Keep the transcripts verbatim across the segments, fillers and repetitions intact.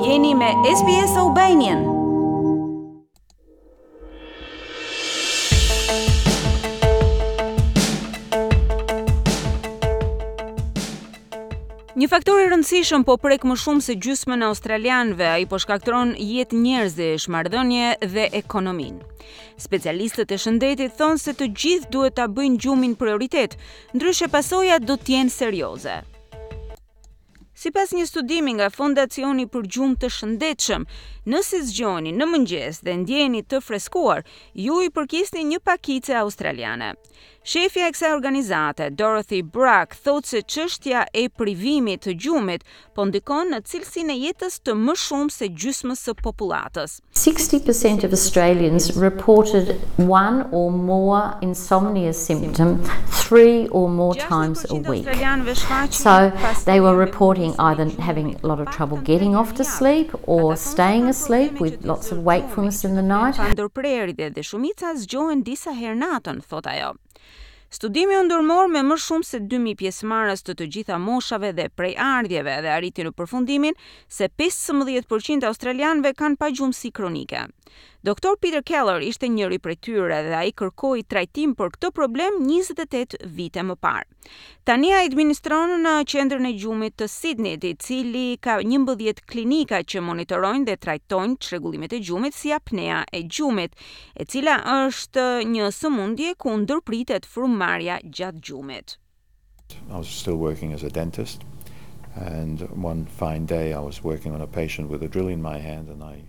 Jeni me S B S Albanian. Një faktor i rëndësishëm po prek më shumë se gjysmën e australianëve, ai po shkakton jetë njerëzish, marrëdhënie dhe ekonominë. Specialistët e shëndetit thonë se të gjithë duhet ta bëjnë gjumin prioritet, ndryshe pasojat do të jenë serioze. Sipas një studimi nga Fondacioni për Gjumë të Shëndetshëm, nëse zgjoheni në mëngjes dhe ndjeheni të freskuar, ju i përkisni një pakice australiane. Shefja e kësaj organizate, Dorothy Brooke, thotë se çështja e privimit të gjumit po ndikon në cilësinë e jetës të më shumë se gjysmës së popullatës. sixty percent of Australians reported one or more insomnia symptom three or more times a week. So they were reporting either having a lot of trouble getting off to sleep or staying asleep with lots of wakefulness in the night. Pa ndërprerje dhe shumica zgjohen disa herë natën, thot ajo. Studimi u ndërmor me më shumë se dy mijë pjesëmarrës të të gjitha moshave dhe prejardhjeve dhe arriti në përfundimin se pesëmbëdhjetë përqind e australianëve kanë pagjumësi kronike. Doktor Peter Keller ishte njëri prej tyre dhe ai kërkoi trajtim për këtë problem njëzet e tetë vite më parë. Tani ai administron në qendrën e gjumit të Sydneyt, i cili ka njëmbëdhjetë klinika që monitorojnë dhe trajtojnë çrregullimet e gjumit si apnea e gjumit, e cila është një sëmundje ku ndërpritet frymëmarrja gjatë gjumit. I was still working as a dentist, and one fine day I was working on a patient with a drill in my hand, and I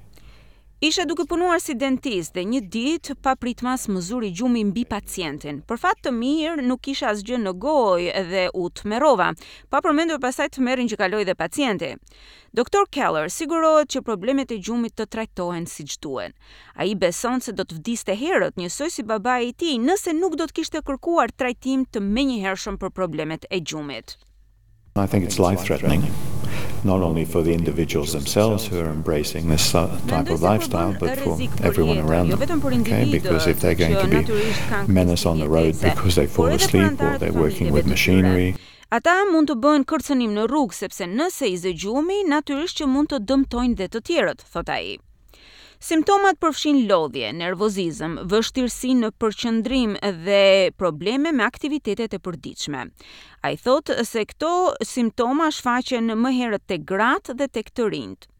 Isha duke punuar si dentist dhe një ditë papritmas më zuri gjumi mbi pacientin. Për fat të mirë nuk kisha asgjë në gojë dhe u tmerrova, pa përmendur pastaj tmerrin që kaloi dhe pacienti. Doktor Keller sigurohet që problemet e gjumit të trajtohen siç duhen. Ai beson se do të vdiste herët, njësoj si babai i tij, nëse nuk do të kishte kërkuar trajtim të menjëhershëm për problemet e gjumit. I think it's life-threatening, not only for the individuals themselves who are embracing this type of lifestyle, but for everyone around them. Okay, because if they're going to be menace on the road because they fall asleep or they're working with machinery, Ata mund të bëhen kërcënim në rrugë sepse nëse i zë gjumi, natyrisht që mund të dëmtojnë dhe të tjerët, thot ai. Simptomat përfshin lodhje, nervozizëm, vështirësi në përqendrim dhe probleme me aktivitetet e përditshme. Ai thotë se këto simptoma shfaqen më herët tek gratë dhe tek të rinjt.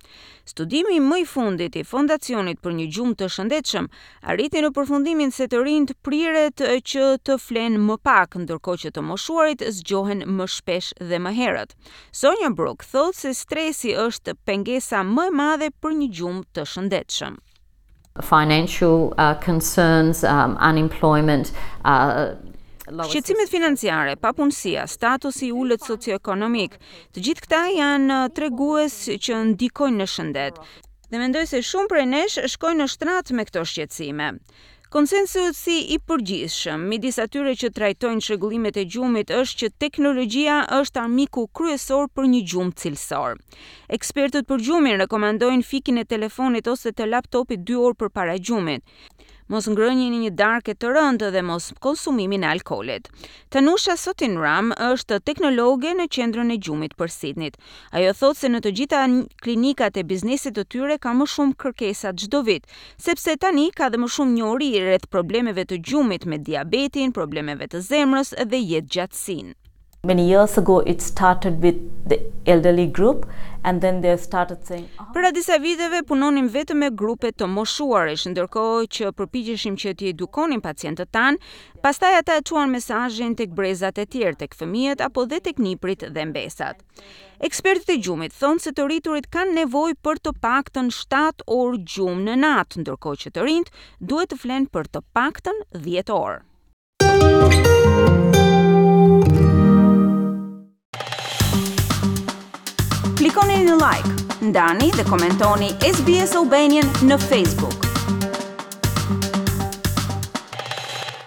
Studimi më i fundit i Fondacionit për një gjumë të shëndetshëm arriti në përfundimin se të rinjt priret që të flenë më pak, ndërkohë që të moshuarit zgjohen më shpesh dhe më herët. Sonja Brook thotë se stresi është pengesa më e madhe për një gjumë të shëndetshëm. Financial uh, concerns, um, unemployment, uh, Shqetësimet financiare, papunësia, statusi i ulët socioekonomik, të gjithë këta janë tregues që ndikojnë në shëndet. Dhe mendoj se shumë prej nesh shkojnë në shtrat me këto shqetësime. Konsensusi i përgjithshëm midis atyre që trajtojnë çrregullimet e gjumit është që teknologjia është armiku kryesor për një gjumë cilësor. Ekspertët për gjumin rekomandojnë fikjen e telefonit ose të laptopit dy orë përpara gjumit, mos ngrënien e një darke të rëndë dhe mos konsumimin e alkoolit. Tanusha Sotinram është teknologe në qendrën e gjumit për Sydneyt. Ajo thotë se në të gjitha klinikat e biznesit të tyre ka më shumë kërkesa çdo vit, sepse tani ka dhe më shumë njohuri rreth problemeve të gjumit me diabetin, problemeve të zemrës dhe jetëgjatësinë. Many years ago it started with the elderly group, and then they started saying, oh, Para disa viteve punonim vetëm me grupe të moshuarish, ndërkohë që përpiqeshim që t'i edukonim pacientët tanë, pastaj ata e çuan mesazhin tek brezat e tjerë, tek fëmijët apo dhe tek niprit dhe mbesat. Ekspertët e gjumit thonë se të rriturit kanë nevojë për të paktën shtatë orë gjumë në natë, ndërkohë që të rinjt duhet të flenë për të paktën dhjetë orë. Klikoni në like, ndani dhe komentoni S B S Albanian në Facebook.